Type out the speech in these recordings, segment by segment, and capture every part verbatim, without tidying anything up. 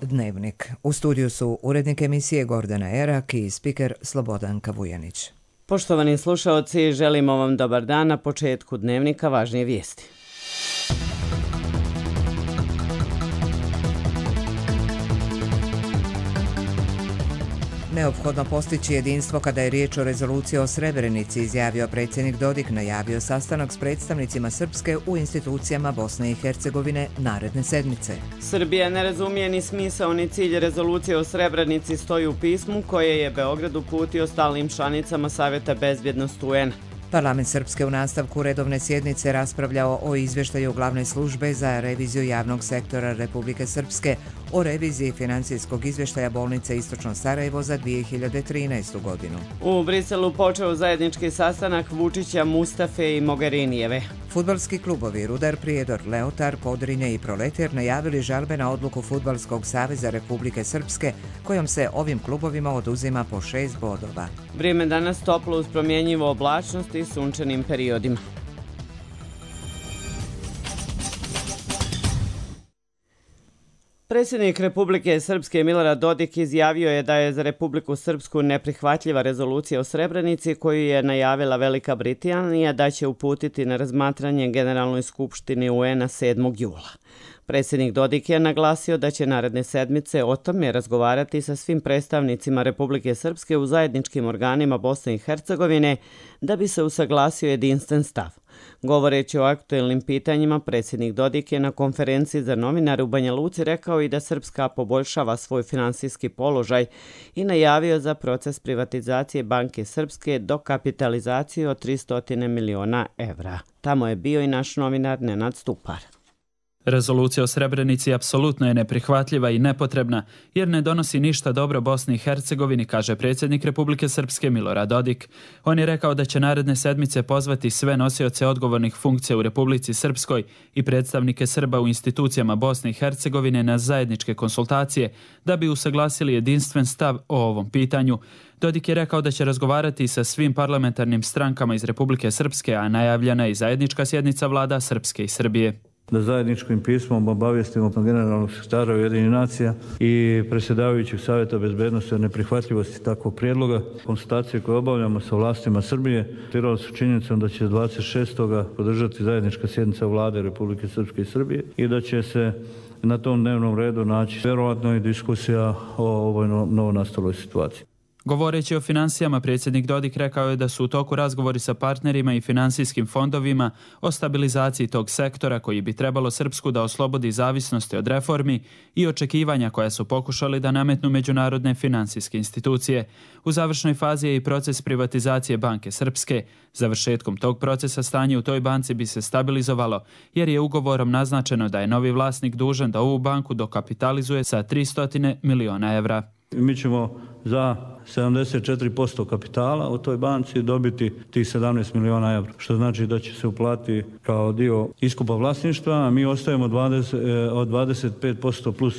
Dnevnik. U studiju su urednik emisije Gordana Erak i spiker Slobodanka Vujanić. Poštovani slušaoci, želimo vam dobar dan. Na početku Dnevnika važnije vijesti. Neophodno postići jedinstvo kada je riječ o rezoluciji o Srebrenici, izjavio predsjednik Dodik, najavio sastanak s predstavnicima Srpske u institucijama Bosne i Hercegovine naredne sedmice. Srbija ne razumije ni smisao ni cilj rezolucije o Srebrenici, stoji u pismu koje je Beograd uputio stalnim članicama Savjeta bezbjednosti U N. Parlament Srpske u nastavku redovne sjednice raspravljao o izvještaju glavne službe za reviziju javnog sektora Republike Srpske o reviziji financijskog izvještaja bolnice Istočno Sarajevo za dvije hiljade trinaestu. godinu. U Briselu počeo zajednički sastanak Vučića, Mustafe i Mogherinijeve. Fudbalski klubovi Rudar, Prijedor, Leotar, Podrinje i Proletar najavili žalbe na odluku Fudbalskog saveza Republike Srpske, kojom se ovim klubovima oduzima po šest bodova. Vrijeme danas toplo uz promjenjivu oblačnost i sunčanim periodima. Predsjednik Republike Srpske Milorad Dodik izjavio je da je za Republiku Srpsku neprihvatljiva rezolucija o Srebrenici koju je najavila Velika Britanija da će uputiti na razmatranje Generalnoj skupštini U N-a sedmog jula. Predsjednik Dodik je naglasio da će naredne sedmice o tome razgovarati sa svim predstavnicima Republike Srpske u zajedničkim organima Bosne i Hercegovine da bi se usaglasio jedinstven stav. Govoreći o aktuelnim pitanjima, predsjednik Dodik je na konferenciji za novinare u Banja Luci rekao i da Srpska poboljšava svoj finansijski položaj i najavio za proces privatizacije Banke Srpske do kapitalizacije od tristo miliona evra. Tamo je bio i naš novinar Nenad Stupar. Rezolucija o Srebrenici apsolutno je neprihvatljiva i nepotrebna jer ne donosi ništa dobro Bosni i Hercegovini, kaže predsjednik Republike Srpske Milorad Dodik. On je rekao da će naredne sedmice pozvati sve nosioce odgovornih funkcija u Republici Srpskoj i predstavnike Srba u institucijama Bosne i Hercegovine na zajedničke konsultacije da bi usaglasili jedinstven stav o ovom pitanju. Dodik je rekao da će razgovarati sa svim parlamentarnim strankama iz Republike Srpske, a najavljena je i zajednička sjednica vlada Srpske i Srbije. Da zajedničkim pismom obavijestimo generalnog sekretara Ujedinjenih nacija i predsjedavajućeg Savjeta bezbednosti o neprihvatljivosti takvog prijedloga. Konsultacije koje obavljamo sa vlastima Srbije tirali su činjenicom da će dvadeset šestog podržati zajednička sjednica vlade Republike Srpske i Srbije i da će se na tom dnevnom redu naći vjerovatno i diskusija o ovoj novonastaloj situaciji. Govoreći o finansijama, predsjednik Dodik rekao je da su u toku razgovori sa partnerima i finansijskim fondovima o stabilizaciji tog sektora koji bi trebalo Srpsku da oslobodi zavisnosti od reformi i očekivanja koja su pokušali da nametnu međunarodne finansijske institucije. U završnoj fazi je i proces privatizacije Banke Srpske. Završetkom tog procesa stanje u toj banci bi se stabilizovalo jer je ugovorom naznačeno da je novi vlasnik dužan da ovu banku dokapitalizuje sa tristo miliona evra. Mi ćemo za sedamdeset četiri posto kapitala u toj banci dobiti tih sedamnaest miliona evra, što znači da će se uplatiti kao dio iskupa vlasništva, a mi ostajemo dvadeset, od dvadeset pet posto plus,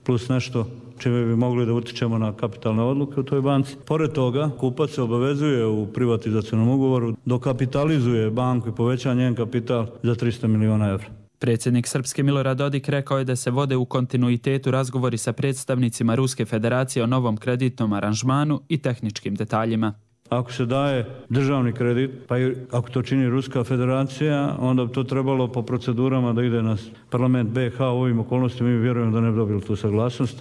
plus nešto čime bi mogli da utičemo na kapitalne odluke u toj banci. Pored toga, kupac se obavezuje u privatizacionom ugovoru, dokapitalizuje banku i poveća njen kapital za tristo miliona evra. Predsjednik Srpske Milorad Dodik rekao je da se vode u kontinuitetu razgovori sa predstavnicima Ruske federacije o novom kreditnom aranžmanu i tehničkim detaljima. Ako se daje državni kredit, pa i ako to čini Ruska federacija, onda bi to trebalo po procedurama da ide na parlament B iH. U ovim okolnostima mi vjerujemo da ne bi dobili tu saglasnost.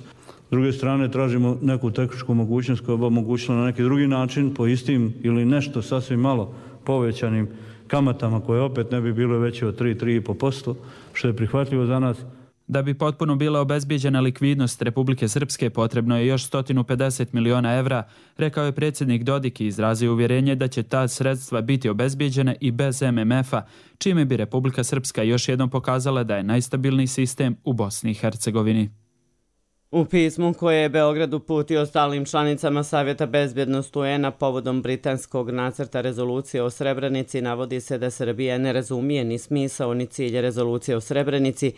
S druge strane, tražimo neku tehničku mogućnost koja bi omogućila na neki drugi način, po istim ili nešto sasvim malo povećanim kamatama koje opet ne bi bilo veće od tri do tri i po posto, što je prihvatljivo za nas. Da bi potpuno bila obezbijeđena likvidnost Republike Srpske potrebno je još sto pedeset miliona evra, rekao je predsjednik Dodik i izrazio uvjerenje da će ta sredstva biti obezbijeđena i bez M M F-a, čime bi Republika Srpska još jednom pokazala da je najstabilniji sistem u Bosni i Hercegovini. U pismu koje je Beograd uputio stalnim članicama Savjeta bezbjednosti U N-a povodom britanskog nacrta rezolucije o Srebrenici navodi se da Srbija ne razumije ni smisao ni cilj rezolucije o Srebrenici,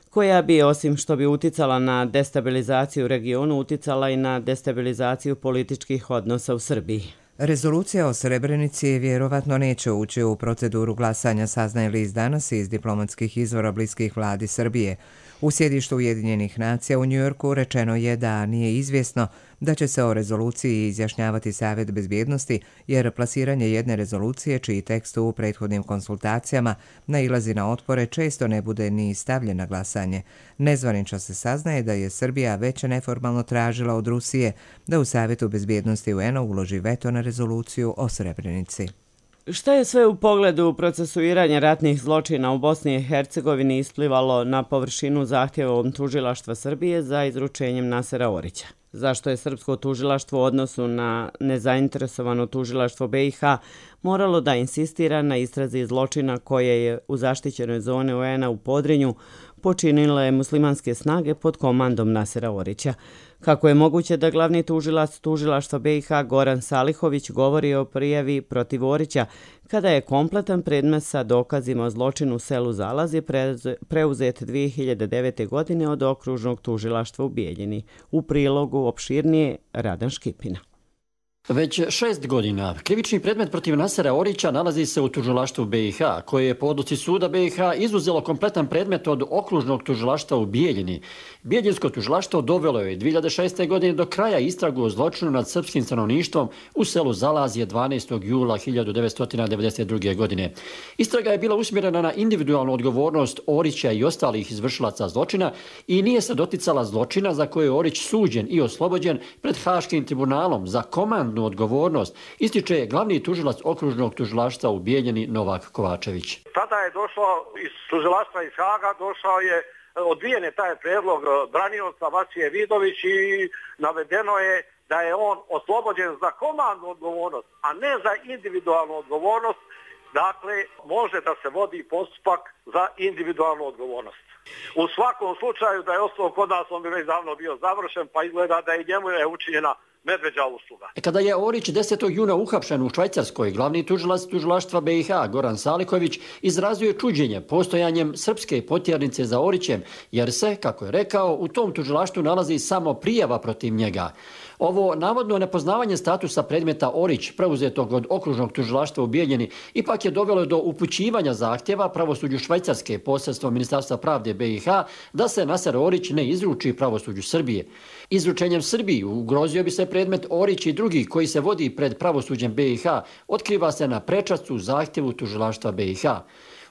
koja bi, osim što bi uticala na destabilizaciju regionu, uticala i na destabilizaciju političkih odnosa u Srbiji. Rezolucija o Srebrenici vjerovatno neće ući u proceduru glasanja, saznaje list danas iz diplomatskih izvora bliskih vladi Srbije. U sjedištu Ujedinjenih nacija u Njujorku rečeno je da nije izvjesno da će se o rezoluciji izjašnjavati Savjet bezbjednosti, jer plasiranje jedne rezolucije čiji tekst u prethodnim konsultacijama nailazi na otpore često ne bude ni stavljen na glasanje. Nezvanično se saznaje da je Srbija već neformalno tražila od Rusije da u Savjetu bezbjednosti U N A uloži veto na rezoluciju o Srebrenici. Šta je sve u pogledu procesuiranja ratnih zločina u Bosni i Hercegovini isplivalo na površinu zahtjevom tužilaštva Srbije za izručenjem Nasera Orića? Zašto je srpsko tužilaštvo u odnosu na nezainteresovano tužilaštvo B i H moralo da insistira na istrazi zločina koje je u zaštićenoj zoni U N A u Podrinju počinile muslimanske snage pod komandom Nasera Orića? Kako je moguće da glavni tužilac tužilaštva B i H Goran Salihović govori o prijavi protiv Orića kada je kompletan predmet sa dokazima o zločinu u selu Zalazi preuzet dvije hiljade devete. godine od okružnog tužilaštva u Bijeljini? U prilogu opširnije Radan Škipina. Već šest godina krivični predmet protiv Nasera Orića nalazi se u tužilaštvu B i H, koje je po odluci suda B i H izuzelo kompletan predmet od okružnog tužilaštva u Bijeljini. Bijeljinsko tužilaštvo dovelo je dvije hiljade šeste. godine do kraja istragu o zločinu nad srpskim stanovništvom u selu Zalazije dvanaestog jula hiljade devetsto devedeset druge. godine. Istraga je bila usmjerena na individualnu odgovornost Orića i ostalih izvršilaca zločina i nije se doticala zločina za koje je Orić suđen i oslobođen pred Haškim tribunalom za komandnu odgovornost, ističe glavni tužilac okružnog tužilaštva u Bijeljini Novak Kovačević. Tada je došao iz tužilaštva iz Haga, došao je, odbijen je taj predlog branioca Vasije Vidović i navedeno je da je on oslobođen za komandnu odgovornost, a ne za individualnu odgovornost. Dakle, može da se vodi postupak za individualnu odgovornost. U svakom slučaju da je ostao kod nas, on bi već davno bio završen, pa izgleda da i njemu je učinjena medveđa usluga. Kada je Orić desetog juna uhapšen u Švajcarskoj, glavni tužilac tužilaštva B i H Goran Saliković izrazio je čuđenje postojanjem srpske potjernice za Orićem, jer se, kako je rekao, u tom tužilaštvu nalazi samo prijava protiv njega. Ovo navodno nepoznavanje statusa predmeta Orić, preuzetog od okružnog tužilaštva u Bijeljini, ipak je dovelo do upućivanja zahtjeva pravosuđu Švajcarske posredstvom Ministarstva pravde B i H da se Naser Orić ne izruči pravosuđu Srbije. Izručenjem Srbiji ugrozio bi se predmet Orić i drugi koji se vodi pred pravosuđem B i H, otkriva se na prečacu zahtjevu tužilaštva B i H.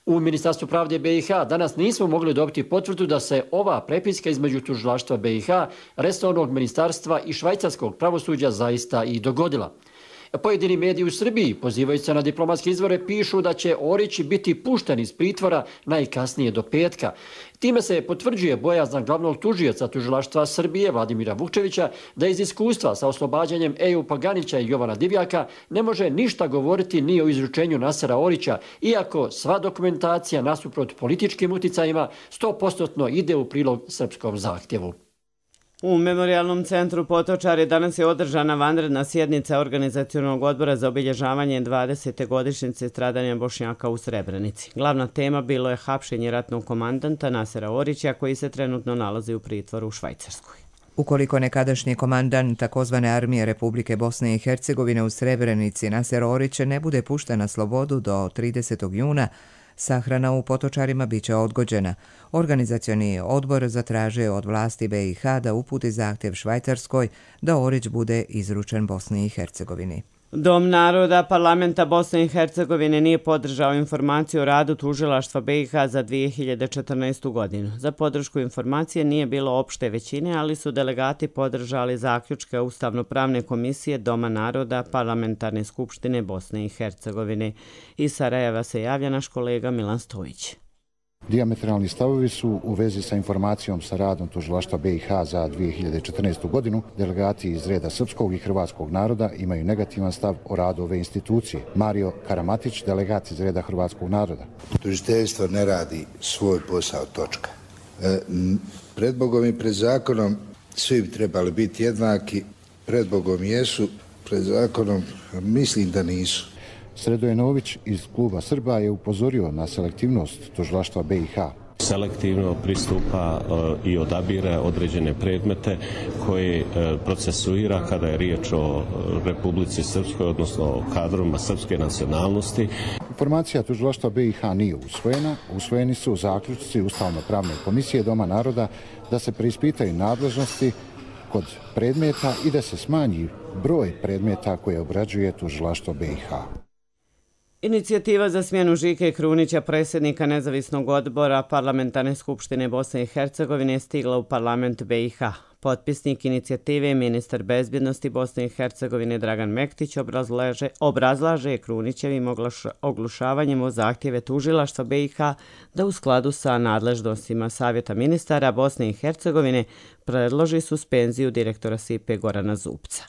U Ministarstvu pravde B i H danas nismo mogli dobiti potvrdu da se ova prepiska između tužilaštva B i H, resornog ministarstva i švajcarskog pravosuđa zaista i dogodila. Pojedini mediji u Srbiji, pozivajući se na diplomatske izvore, pišu da će Orić biti pušten iz pritvora najkasnije do petka. Time se potvrđuje bojazan glavnog tužioca tužilaštva Srbije Vladimira Vukčevića da iz iskustva sa oslobađanjem Ejupa Ganića i Jovana Divjaka ne može ništa govoriti ni o izručenju Nasera Orića, iako sva dokumentacija nasuprot političkim uticajima sto posto ide u prilog srpskom zahtjevu. U Memorijalnom centru Potočari danas je održana vanredna sjednica Organizacionog odbora za obilježavanje dvadesete godišnjice stradanja Bošnjaka u Srebrenici. Glavna tema bilo je hapšenje ratnog komandanta Nasera Orića, koji se trenutno nalazi u pritvoru u Švajcarskoj. Ukoliko nekadašnji komandant takozvane armije Republike Bosne i Hercegovine u Srebrenici Naser Orić ne bude pušten na slobodu do tridesetog juna, sahrana u Potočarima biće odgođena. Organizacioni odbor zatražio je od vlasti B i H da uputi zahtjev Švajcarskoj da Orić bude izručen Bosni i Hercegovini. Dom naroda parlamenta Bosne i Hercegovine nije podržao informaciju o radu tužilaštva B i H za dvije hiljade četrnaestu. godinu. Za podršku informacije nije bilo opšte većine, ali su delegati podržali zaključke Ustavno-pravne komisije Doma naroda Parlamentarne skupštine Bosne i Hercegovine. Iz Sarajeva se javlja naš kolega Milan Stojić. Dijametralni stavovi su u vezi sa informacijom sa radom tužilaštva B i H za dvije hiljade četrnaestu. godinu. Delegati iz reda srpskog i hrvatskog naroda imaju negativan stav o radu ove institucije. Mario Karamatić, delegat iz reda hrvatskog naroda. Tužiteljstvo ne radi svoj posao, točka. E, pred Bogom i pred zakonom svi bi trebali biti jednaki. Pred Bogom jesu, pred zakonom mislim da nisu. Sredojenović iz kluba Srba je upozorio na selektivnost tužilaštva B i H. Selektivno pristupa i odabire određene predmete koje procesuira kada je riječ o Republici Srpskoj, odnosno o kadrovima srpske nacionalnosti. Informacija tužilaštva B i H nije usvojena. Usvojeni su zaključci Ustavno-pravne komisije Doma naroda da se preispitaju nadležnosti kod predmeta i da se smanji broj predmeta koje obrađuje tužilaštvo B i H. Inicijativa za smjenu Žike Krunića, predsjednika nezavisnog odbora Parlamentarne skupštine Bosne i Hercegovine, je stigla u parlament B i H. Potpisnik inicijative, ministar bezbjednosti Bosne i Hercegovine Dragan Mektić, obrazlaže, obrazlaže Krunićevim oglušavanjem o zahtjeve tužilaštva B i H da u skladu sa nadležnostima Savjeta ministara Bosne i Hercegovine predloži suspenziju direktora S I P-e Gorana Zupca.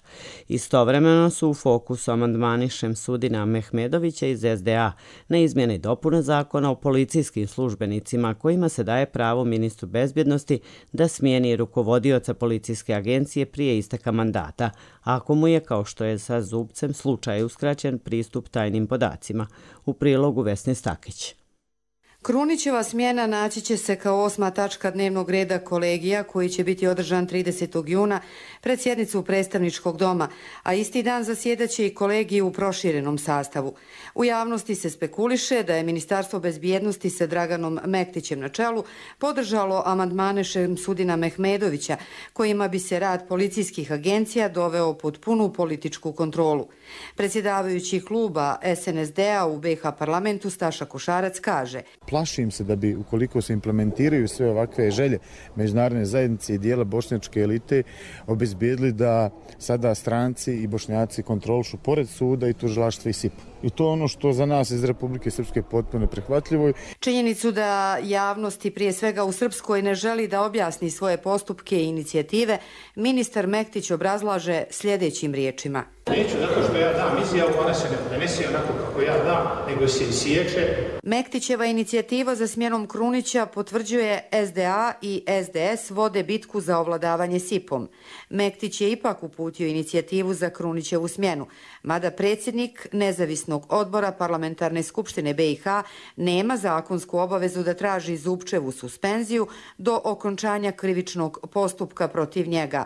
Istovremeno su u fokusu amandmani Šemsudina Mehmedovića iz S D A na izmjene i dopune zakona o policijskim službenicima kojima se daje pravo ministru bezbjednosti da smijeni rukovodioca policijske agencije prije isteka mandata, ako mu je, kao što je sa Zupcem, slučaj uskraćen pristup tajnim podacima. U prilogu Vesne Stakić. Krunićeva smjena naći će se kao osma tačka dnevnog reda kolegija koji će biti održan tridesetog juna pred sjednicu predstavničkog doma, a isti dan zasjedaće i kolegiji u proširenom sastavu. U javnosti se spekuliše da je Ministarstvo bezbjednosti sa Draganom Mektićem na čelu podržalo amandmane Šemsudina Mehmedovića kojima bi se rad policijskih agencija doveo pod punu političku kontrolu. Predsjedavajući kluba S N S D-a u B i H parlamentu Staša Košarac kaže: Plašim se da bi, ukoliko se implementiraju sve ovakve želje međunarodne zajednice i dijela bošnjačke elite, obezbijedili da sada stranci i Bošnjaci kontrolišu pored suda i tužilaštva i S I P. I to je ono što za nas iz Republike Srpske potpuno neprihvatljivo. Činjenicu da javnosti, prije svega u Srpskoj, ne želi da objasni svoje postupke i inicijative, ministar Mektić obrazlaže sljedećim riječima. Neću zato što ja dam izjavu, ona se ne prenese onako kako ja dam, nego se isječe. Mektićeva inicijativa za smjenom Krunića potvrđuje S D A i S D S vode bitku za ovladavanje S I P-om. Mektić je ipak uputio inicijativu za Krunićevu smjenu, mada predsjednik nezavisnog odbora Parlamentarne skupštine B i H nema zakonsku obavezu da traži Zupčevu suspenziju do okončanja krivičnog postupka protiv njega.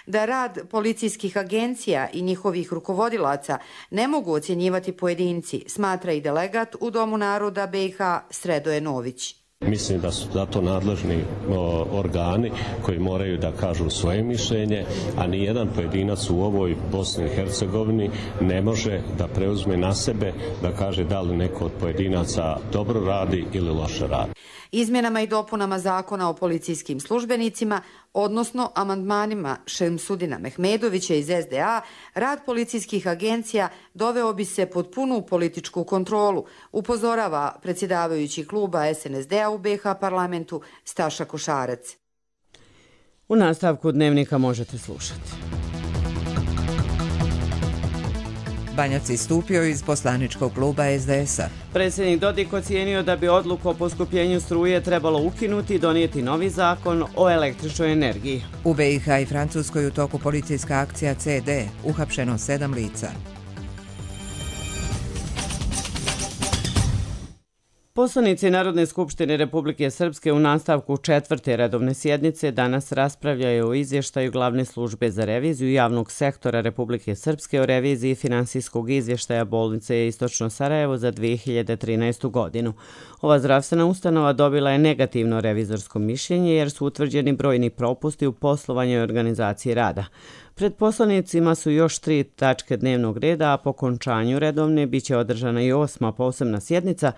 Da rad policijskih agencija i njihovih rukovodilaca ne mogu ocjenjivati pojedinci, smatra i delegat u Domu naroda B i H Sredoje Nović. Mislim da su za to nadležni o, organi koji moraju da kažu svoje mišljenje, a ni jedan pojedinac u ovoj Bosni i Hercegovini ne može da preuzme na sebe da kaže da li neko od pojedinaca dobro radi ili loše radi. Izmjenama i dopunama zakona o policijskim službenicima, odnosno amandmanima Šemsudina Mehmedovića iz S D A, rad policijskih agencija doveo bi se pod punu političku kontrolu, upozorava predsjedavajući kluba S N S D-a u B i H parlamentu Staša Košarac. U nastavku dnevnika možete slušati. Banjac istupio iz poslaničkog kluba S D S-a. Predsjednik Dodik ocijenio da bi odluku o poskupljenju struje trebalo ukinuti i donijeti novi zakon o električnoj energiji. U B i H i Francuskoj u toku policijska akcija C D, uhapšeno sedam lica. Poslanici Narodne skupštine Republike Srpske u nastavku četvrte redovne sjednice danas raspravljaju o izvještaju Glavne službe za reviziju javnog sektora Republike Srpske o reviziji finansijskog izvještaja bolnice Istočno Sarajevo za dvije hiljade trinaestu godinu. Ova zdravstvena ustanova dobila je negativno revizorsko mišljenje jer su utvrđeni brojni propusti u poslovanju i organizaciji rada. Pred poslanicima su još tri tačke dnevnog reda, a po končanju redovne biće održana i osma posebna sjednica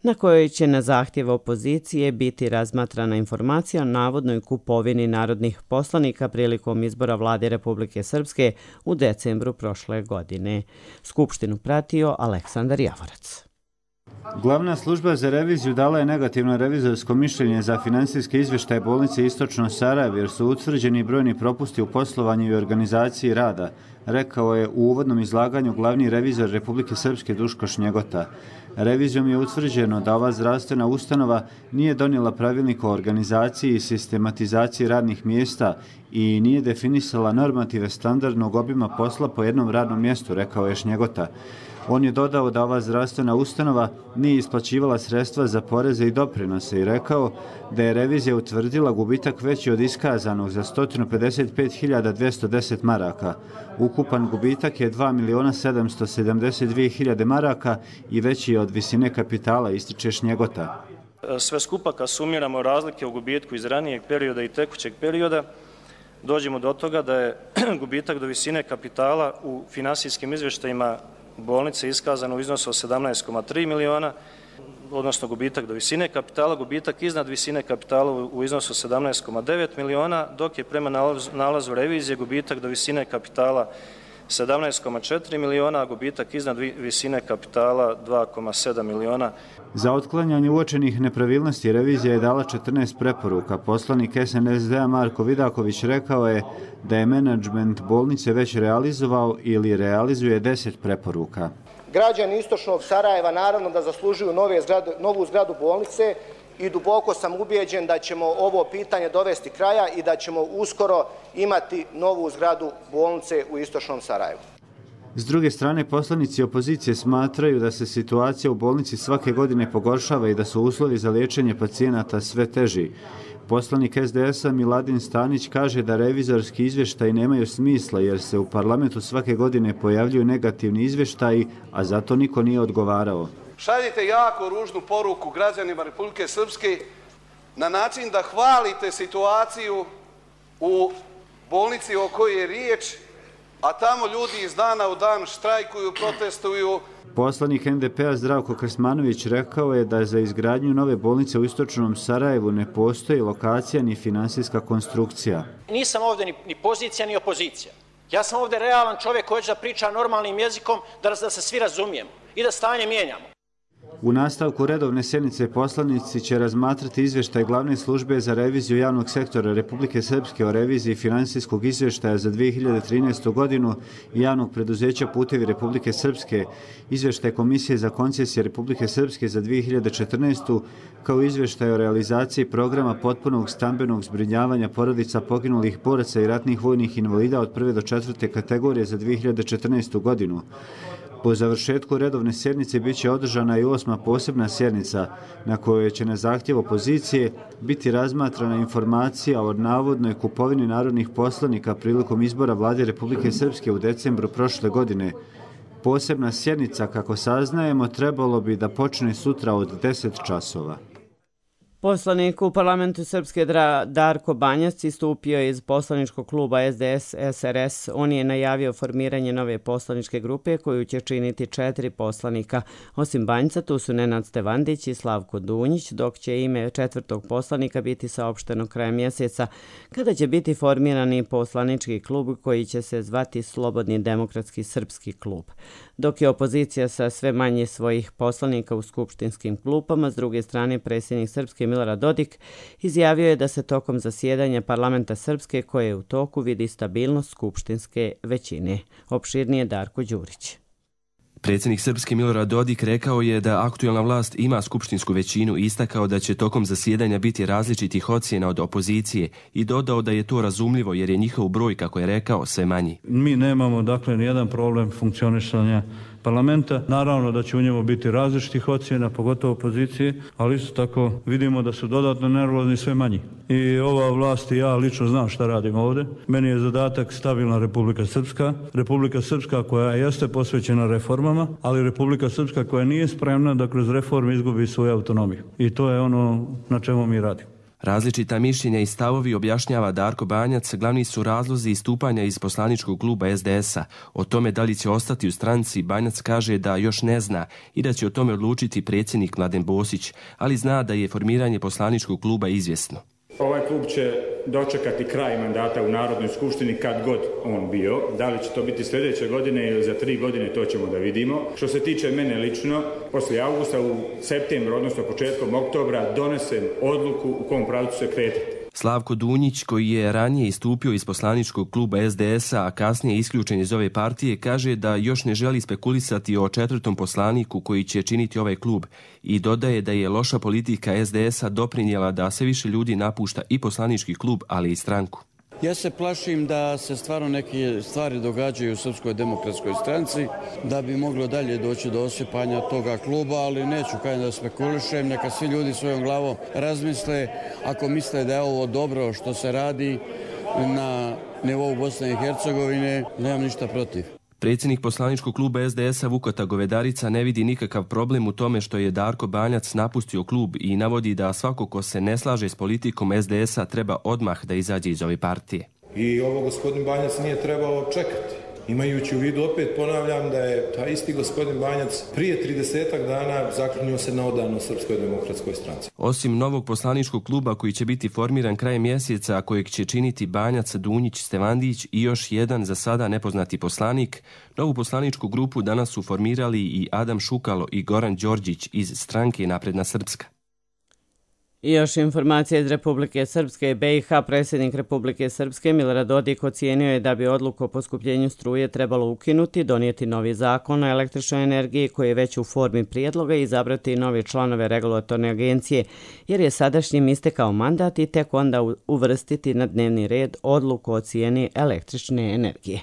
na kojoj će na zahtjev opozicije biti razmatrana informacija o navodnoj kupovini narodnih poslanika prilikom izbora vlade Republike Srpske u decembru prošle godine. Skupštinu pratio Aleksandar Javorac. Glavna služba za reviziju dala je negativno revizorsko mišljenje za finansijske izvještaje bolnice Istočno Sarajevo jer su utvrđeni brojni propusti u poslovanju i organizaciji rada. rekao je u uvodnom izlaganju glavni revizor Republike Srpske Duško Šnjegota. Revizijom je utvrđeno da ova zdravstvena ustanova nije donijela pravilnik o organizaciji i sistematizaciji radnih mjesta i nije definisala normative standardnog obima posla po jednom radnom mjestu, rekao je Šnjegota. On je dodao da ova zdravstvena ustanova nije isplaćivala sredstva za poreze i doprinose i rekao da je revizija utvrdila gubitak veći od iskazanog za sto pedeset pet hiljada dvjesto deset maraka. Ukupan gubitak je dva miliona sedamsto sedamdeset dvije hiljade maraka i veći je od visine kapitala, ističe Šnjegota. Sve skupa kad sumiramo razlike u gubitku iz ranijeg perioda i tekućeg perioda, dođemo do toga da je gubitak do visine kapitala u finansijskim izvještajima bolnice iskazano u iznosu od sedamnaest zarez tri miliona, odnosno gubitak do visine kapitala, gubitak iznad visine kapitala u iznosu sedamnaest zarez devet miliona, dok je prema nalazu revizije gubitak do visine kapitala sedamnaest zarez četiri miliona, a gubitak iznad visine kapitala dva zarez sedam miliona. Za otklanjanje uočenih nepravilnosti revizija je dala četrnaest preporuka. Poslanik S N S D-a Marko Vidaković rekao je da je menadžment bolnice već realizovao ili realizuje deset preporuka. Građani istočnog Sarajeva naravno da zaslužuju nove zgrade, novu zgradu bolnice i duboko sam ubijeđen da ćemo ovo pitanje dovesti kraja i da ćemo uskoro imati novu zgradu bolnice u istočnom Sarajevu. S druge strane, poslanici opozicije smatraju da se situacija u bolnici svake godine pogoršava i da su uslovi za liječenje pacijenata sve teži. Poslanik S D S-a Miladin Stanić kaže da revizorski izvještaji nemaju smisla jer se u parlamentu svake godine pojavljuju negativni izvještaji, a zato niko nije odgovarao. Šaljite jako ružnu poruku građanima Republike Srpske na način da hvalite situaciju u bolnici o kojoj je riječ, a tamo ljudi iz dana u dan štrajkuju, protestuju. Poslanik N D P-a Zdravko Krsmanović rekao je da za izgradnju nove bolnice u istočnom Sarajevu ne postoji lokacija ni finansijska konstrukcija. Nisam ovdje ni, ni pozicija ni opozicija. Ja sam ovdje realan čovjek koji će da priča normalnim jezikom da, da se svi razumijemo i da stanje mijenjamo. U nastavku redovne sjednice poslanici će razmatrati izvještaj glavne službe za reviziju javnog sektora Republike Srpske o reviziji finansijskog izvještaja za dvije hiljade trinaestu. godinu i javnog preduzeća Putevi Republike Srpske, izvještaj Komisije za koncesije Republike Srpske za dvije hiljade četrnaestu. kao izvještaj o realizaciji programa potpunog stambenog zbrinjavanja porodica poginulih boraca i ratnih vojnih invalida od prve do četvrte kategorije za dvije hiljade četrnaestu. godinu. Po završetku redovne sjednice bit će održana i osma posebna sjednica na kojoj će na zahtjev opozicije biti razmatrana informacija o navodnoj kupovini narodnih poslanika prilikom izbora vlade Republike Srpske u decembru prošle godine. Posebna sjednica, kako saznajemo, trebalo bi da počne sutra od deset časova. Poslanik u parlamentu Srpske Darko Banjac istupio je iz poslaničkog kluba S D S S R S. On je najavio formiranje nove poslaničke grupe koju će činiti četiri poslanika. Osim Banjca, tu su Nenad Stevandić i Slavko Dunjić, dok će ime četvrtog poslanika biti saopšteno krajem mjeseca, kada će biti formirani poslanički klub koji će se zvati Slobodni demokratski srpski klub. Dok je opozicija sa sve manje svojih poslanika u skupštinskim klupama, s druge strane predsjednik Srpske Milorad Dodik izjavio je da se tokom zasjedanja parlamenta Srpske koje je u toku vidi stabilnost skupštinske većine. Opširnije Darko Đurić. Predsjednik Srpske Milorad Dodik rekao je da aktuelna vlast ima skupštinsku većinu i istakao da će tokom zasjedanja biti različitih ocjena od opozicije i dodao da je to razumljivo jer je njihov broj, kako je rekao, sve manji. Mi nemamo dakle nijedan problem funkcionisanja parlamenta. Naravno da će u njemu biti različitih ocjena, pogotovo opozicije, ali isto tako vidimo da su dodatno nervozni sve manji. I ova vlast i ja lično znam šta radim ovdje. Meni je zadatak stabilna Republika Srpska. Republika Srpska koja jeste posvećena reformama, ali Republika Srpska koja nije spremna da kroz reforme izgubi svoju autonomiju. I to je ono na čemu mi radimo. Različita mišljenja i stavovi, objašnjava Darko Banjac, glavni su razlozi istupanja iz poslaničkog kluba S D S-a. O tome da li će ostati u stranci, Banjac kaže da još ne zna i da će o tome odlučiti predsjednik Mladen Bosić, ali zna da je formiranje poslaničkog kluba izvjesno. Ovaj klub će dočekati kraj mandata u Narodnoj skupštini kad god on bio. Da li će to biti sljedeće godine ili za tri godine, to ćemo da vidimo. Što se tiče mene lično, poslije avgusta u septembru, odnosno početkom oktobra, donesem odluku u kom pravcu se kretati. Slavko Dunjić, koji je ranije istupio iz poslaničkog kluba S D S-a, a kasnije isključen iz ove partije, kaže da još ne želi spekulisati o četvrtom poslaniku koji će činiti ovaj klub i dodaje da je loša politika S D S-a doprinijela da sve više ljudi napušta i poslanički klub, ali i stranku. Ja se plašim da se stvarno neke stvari događaju u Srpskoj demokratskoj stranci, da bi moglo dalje doći do osipanja toga kluba, ali neću kaj da spekulišem, neka svi ljudi svojom glavom razmisle. Ako misle da je ovo dobro što se radi na nivou Bosne i Hercegovine, nemam ništa protiv. Predsjednik poslaničkog kluba S D S-a Vukota Govedarica ne vidi nikakav problem u tome što je Darko Banjac napustio klub i navodi da svako ko se ne slaže s politikom S D S-a treba odmah da izađe iz ove partije. I ovo gospodin Banjac nije trebao čekati. Imajući u vidu, opet ponavljam, da je taj isti gospodin Banjac prije tridesetak dana zaklinio se na odanost Srpskoj demokratskoj stranci. Osim novog poslaničkog kluba koji će biti formiran krajem mjeseca, a kojeg će činiti Banjac, Dunjić, Stevandić i još jedan za sada nepoznati poslanik, novu poslaničku grupu danas su formirali i Adam Šukalo i Goran Đorđić iz stranke Napredna Srpska. I još informacije iz Republike Srpske i B i H. Predsjednik Republike Srpske Milorad Dodik ocijenio je da bi odluku o poskupljenju struje trebalo ukinuti, donijeti novi zakon o električnoj energiji koji je već u formi prijedloga i izabrati nove članove regulatorne agencije, jer je sadašnjim istekao mandat i tek onda uvrstiti na dnevni red odluku o cijeni električne energije.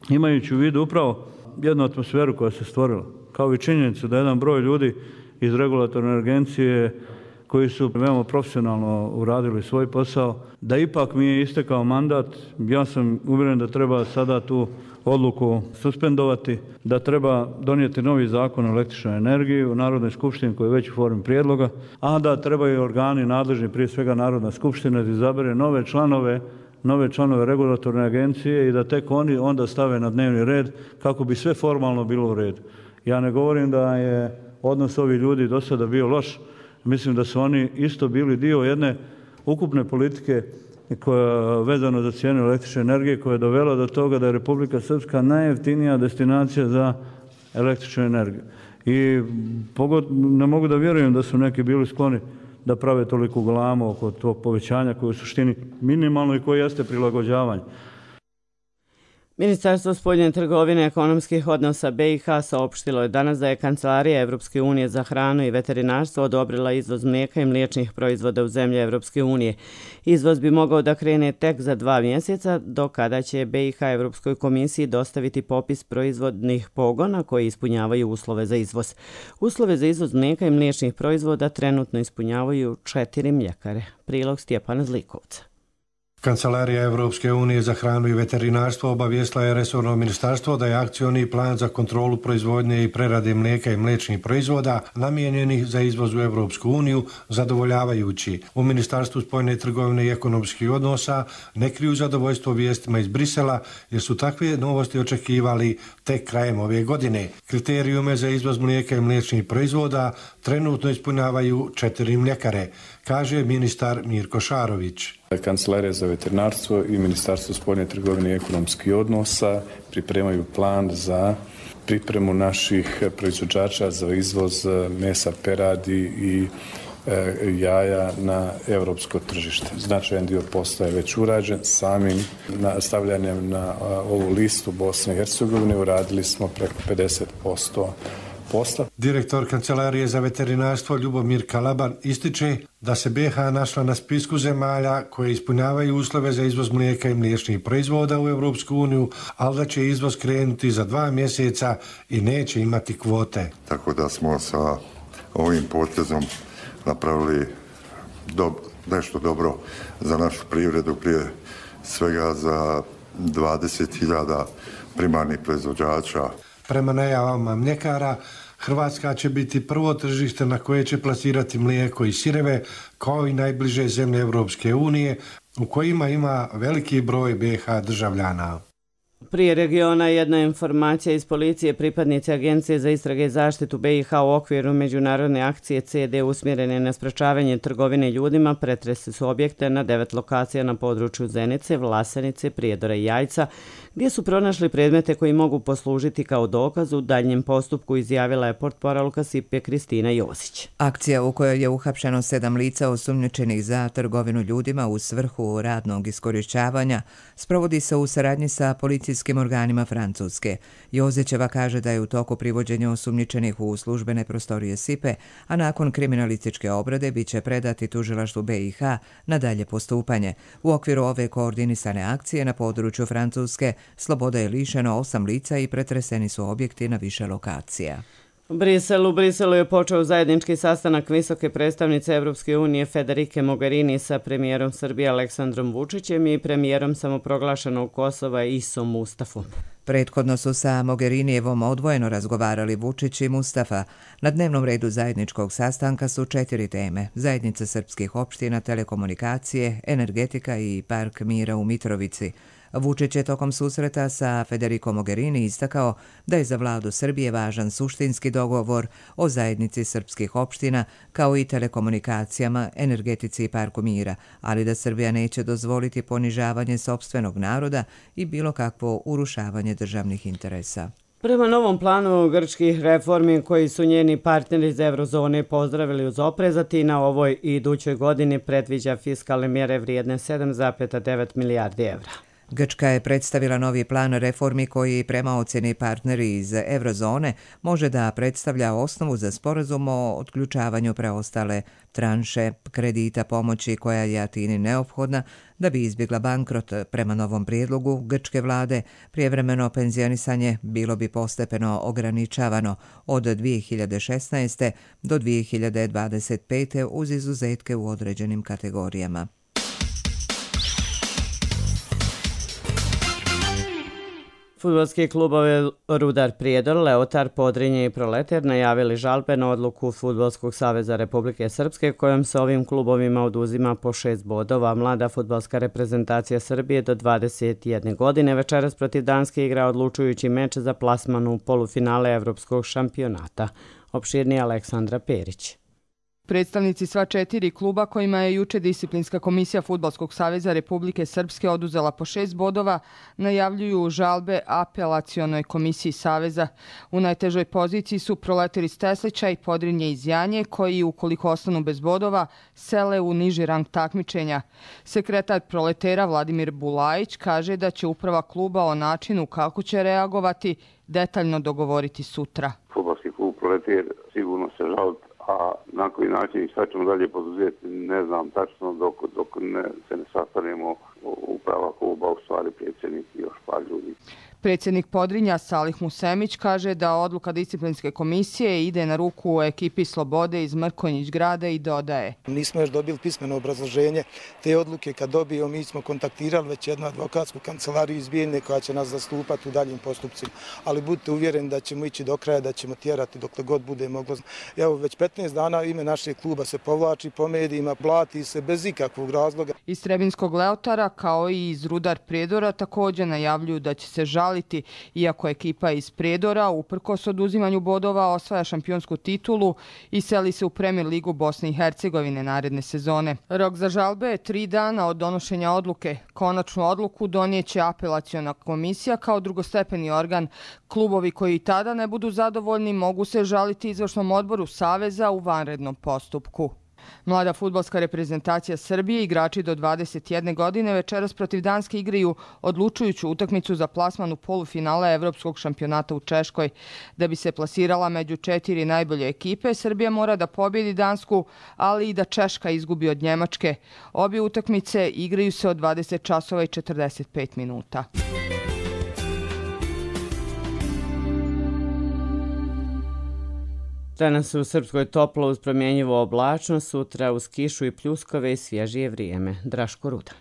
Imajući u vidu upravo jednu atmosferu koja se stvorila, kao i činjenicu da jedan broj ljudi iz regulatorne agencije koji su veoma profesionalno uradili svoj posao, da ipak mi je istekao mandat. Ja sam uvjeren da treba sada tu odluku suspendovati, da treba donijeti novi zakon o električnoj energiji u Narodnoj skupštini koji je već u formi prijedloga, a da trebaju organi nadležni, prije svega Narodna skupština, da izabere nove članove nove članove regulatorne agencije i da tek oni onda stave na dnevni red kako bi sve formalno bilo u redu. Ja ne govorim da je odnos ovih ljudi do sada bio loš. Mislim da su oni isto bili dio jedne ukupne politike koja vezano za cijenu električne energije koja je dovela do toga da je Republika Srpska najjeftinija destinacija za električnu energiju. I ne mogu da vjerujem da su neki bili skloni da prave toliko galamu oko tog povećanja koje je u suštini minimalno i koje jeste prilagođavanje. Ministarstvo spoljne trgovine i ekonomskih odnosa B i H saopštilo je danas da je Kancelarija Evropske unije za hranu i veterinarstvo odobrila izvoz mlijeka i mliječnih proizvoda u zemlje Evropske unije. Izvoz bi mogao da krene tek za dva mjeseca, do kada će B i H Evropskoj komisiji dostaviti popis proizvodnih pogona koji ispunjavaju uslove za izvoz. Uslove za izvoz mlijeka i mliječnih proizvoda trenutno ispunjavaju četiri mljekare. Prilog Stjepana Zlikovca. Kancelarija Evropske unije za hranu i veterinarstvo obavijestila je resorno ministarstvo da je akcioni plan za kontrolu proizvodnje i prerade mlijeka i mliječnih proizvoda namijenjenih za izvoz u Evropsku uniju zadovoljavajući. U Ministarstvu spoljne trgovine i ekonomskih odnosa ne kriju zadovoljstvo vijestima iz Brisela jer su takve novosti očekivali tek krajem ove godine. Kriterijume za izvoz mlijeka i mliječnih proizvoda trenutno ispunjavaju četiri mljekare, kaže ministar Mirko Šarović. Kancelarija za veterinarstvo i Ministarstvo spoljne trgovine i ekonomskih odnosa pripremaju plan za pripremu naših proizvođača za izvoz mesa peradi i e, jaja na evropsko tržište. Značajan dio posla je već urađen. Samim stavljanjem na ovu listu Bosne i Hercegovine uradili smo preko pedeset posto posla. Direktor Kancelarije za veterinarstvo Ljubomir Kalaban ističe da se B i H našla na spisku zemalja koje ispunjavaju uslove za izvoz mlijeka i mliječnih proizvoda u Evropsku uniju, ali da će izvoz krenuti za dva mjeseca i neće imati kvote. Tako da smo sa ovim potezom napravili do, nešto dobro za našu privredu, prije svega za dvadeset hiljada primarnih proizvođača. Prema najavama mljekara, Hrvatska će biti prvo tržište na koje će plasirati mlijeko i sireve, kao i najbliže zemlje Evropske unije, u kojima ima veliki broj B i H državljana. Prije regiona jedna informacija iz policije. Pripadnici Agencije za istrage i zaštitu B i H u okviru međunarodne akcije C D usmjerene na sprečavanje trgovine ljudima pretresli su objekte na devet lokacija na području Zenice, Vlasenice, Prijedora i Jajca, gdje su pronašli predmete koji mogu poslužiti kao dokaz u daljnjem postupku, izjavila je portparolka Sipe Kristina Josić. Akcija u kojoj je uhapšeno sedam lica osumnjičenih za trgovinu ljudima u svrhu radnog iskorišćavanja sprovodi se u saradnji sa policijskim organima Francuske. Jozićeva kaže da je u toku privođenja osumnjičenih u službene prostorije Sipe, a nakon kriminalističke obrade bit će predati tužilaštvu B i H na dalje postupanje. U okviru ove koordinisane akcije na području Francuske sloboda je lišeno osam lica i pretreseni su objekti na više lokacija. U Briselu, u Briselu je počeo zajednički sastanak visoke predstavnice Evropske unije Federike Mogherini sa premijerom Srbije Aleksandrom Vučićem i premijerom samoproglašenog Kosova Isom Mustafom. Prethodno su sa Mogherinijevom odvojeno razgovarali Vučić i Mustafa. Na dnevnom redu zajedničkog sastanka su četiri teme: zajednica srpskih opština, telekomunikacije, energetika i park mira u Mitrovici. Vučić je tokom susreta sa Federico Mogherini istakao da je za vladu Srbije važan suštinski dogovor o zajednici srpskih opština kao i telekomunikacijama, energetici i parku mira, ali da Srbija neće dozvoliti ponižavanje sopstvenog naroda i bilo kakvo urušavanje državnih interesa. Prema novom planu grčkih reformi koji su njeni partneri iz Eurozone pozdravili uz oprezati, na ovoj i idućoj godini predviđa fiskalne mjere vrijedne sedam zarez devet milijardi evra. Grčka je predstavila novi plan reformi koji prema ocjeni partneri iz Eurozone može da predstavlja osnovu za sporazum o otključavanju preostale tranše kredita pomoći koja je Atini neophodna da bi izbjegla bankrot. Prema novom prijedlogu grčke vlade prijevremeno penzionisanje bilo bi postepeno ograničavano od dvije hiljade šesnaeste. do dvije hiljade dvadeset pete. uz izuzetke u određenim kategorijama. Fudbalski klubovi Rudar Prijedor, Leotar, Podrinje i Proletar najavili žalbe na odluku Fudbalskog saveza Republike Srpske kojom se ovim klubovima oduzima po šest bodova. Mlada fudbalska reprezentacija Srbije do dvadeset jedne godine večeras protiv Danske igra odlučujući meč za plasman u polufinale Evropskog šampionata. Opširnije Aleksandra Perić. Predstavnici sva četiri kluba kojima je juče disciplinska komisija Fudbalskog saveza Republike Srpske oduzela po šest bodova najavljuju žalbe apelacionoj komisiji Saveza. U najtežoj poziciji su Proletar iz Teslića i Podrinje iz Janje koji ukoliko ostanu bez bodova sele u niži rang takmičenja. Sekretar Proletera Vladimir Bulajić kaže da će uprava kluba o načinu kako će reagovati detaljno dogovoriti sutra. Fudbalski klub Proletar sigurno se žali, a na koji način i šta ćemo dalje poduzeti, ne znam tačno dok, dok ne, se ne sastanemo uprava kluba, u stvari predsjednik i još par ljudi. Predsjednik Podrinja Salih Musemić kaže da odluka disciplinske komisije ide na ruku ekipi Slobode iz Mrkonjić grada i dodaje: Nismo još dobili pismeno obrazloženje te odluke. Kad dobijemo, mi smo kontaktirali već jednu advokatsku kancelariju iz Bijeljne koja će nas zastupati u daljim postupcima. Ali budite uvjereni da ćemo ići do kraja, da ćemo tjerati dokle god bude moglo. Evo, već petnaest dana ime našeg kluba se povlači po medijima, plati se bez ikakvog razloga. Iz Trebinskog Leotara kao i iz Rudar Prijedora također najavljuju da će se žaliti, iako ekipa iz Prijedora uprkos oduzimanju bodova osvaja šampionsku titulu i seli se u Premier ligu Bosne i Hercegovine naredne sezone. Rok za žalbe je tri dana od donošenja odluke. Konačnu odluku donijeće apelaciona komisija kao drugostepeni organ. Klubovi koji tada ne budu zadovoljni mogu se žaliti izvršnom odboru Saveza u vanrednom postupku. Mlada fudbalska reprezentacija Srbije, igrači do dvadeset jedne godine, večeras protiv Danske igraju odlučujuću utakmicu za plasman u polufinale Evropskog šampionata u Češkoj. Da bi se plasirala među četiri najbolje ekipe, Srbija mora da pobjedi Dansku, ali i da Češka izgubi od Njemačke. Obje utakmice igraju se od dvadeset časova i četrdeset pet minuta. Danas u Srpskoj toplo uz promjenjivo oblačno, sutra uz kišu i pljuskove i svježije vrijeme. Draško Rudan.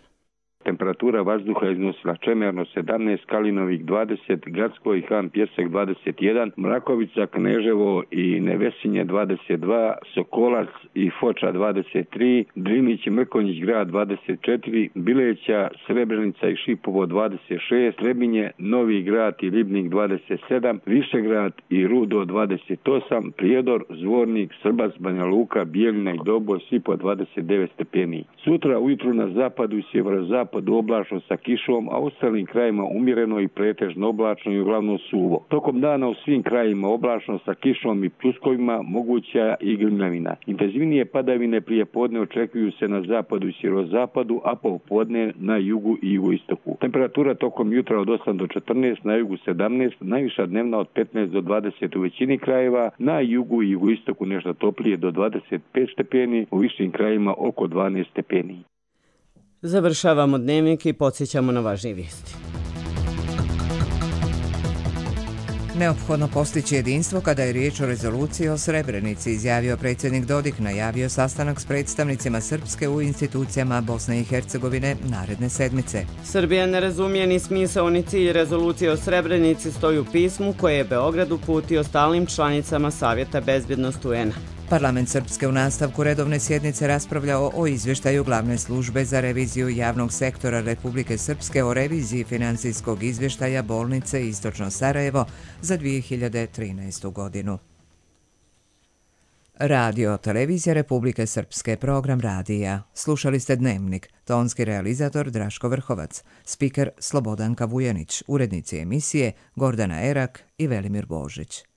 Temperatura temperatura vazduha iznosila Čemerno sedamnaest, Kalinovik dvadeset, Gradsko i Han Pjesek dvadeset jedan, Mrakovica, Kneževo i Nevesinje dvadeset dva, Sokolac i Foča dvadeset tri, Drinić i Mrkonjić grad dvadeset četiri, Bileća, Srebrenica i Šipovo dvadeset šest, Trebinje, Novi grad i Ribnik dvadeset sedam, Višegrad i Rudo dvadeset osam, Prijedor, Zvornik, Srbac, Banja Luka, Bijeljina i Doboj svi po dvadeset devet stepeni. Sutra ujutru na zapadu i sjeverozapadu oblačno sa kišom, a u ostalim krajima umjereno i pretežno oblačno i uglavnom suvo. Tokom dana u svim krajima oblačno sa kišom i pljuskovima, moguća i grmljavina. Intenzivnije padavine prije podne očekuju se na zapadu i sjeverozapadu, a popodne na jugu i jugoistoku. Temperatura tokom jutra od osam do četrnaest, na jugu sedamnaest, najviša dnevna od petnaest do dvadeset u većini krajeva, na jugu i jugoistoku nešto toplije do dvadeset pet stepeni, u višim krajima oko dvanaest stepeni. Završavamo dnevnik i podsjećamo na važnije vijesti. Neophodno postići jedinstvo kada je riječ o rezoluciji o Srebrenici, izjavio predsjednik Dodik, najavio sastanak s predstavnicima Srpske u institucijama Bosne i Hercegovine naredne sedmice. Srbija ne razumije ni smisao ni cilj rezolucije o Srebrenici, stoji u pismu koje je Beograd uputio stalnim članicama Savjeta bezbjednosti U N A. Parlament Srpske u nastavku redovne sjednice raspravljao o izvještaju Glavne službe za reviziju javnog sektora Republike Srpske o reviziji financijskog izvještaja bolnice Istočno Sarajevo za dvije hiljade trinaestu. godinu. Radio Televizija Republike Srpske, program radija. Slušali ste Dnevnik, tonski realizator Draško Vrhovac, spiker Slobodanka Vujanić, urednici emisije Gordana Erak i Velimir Božić.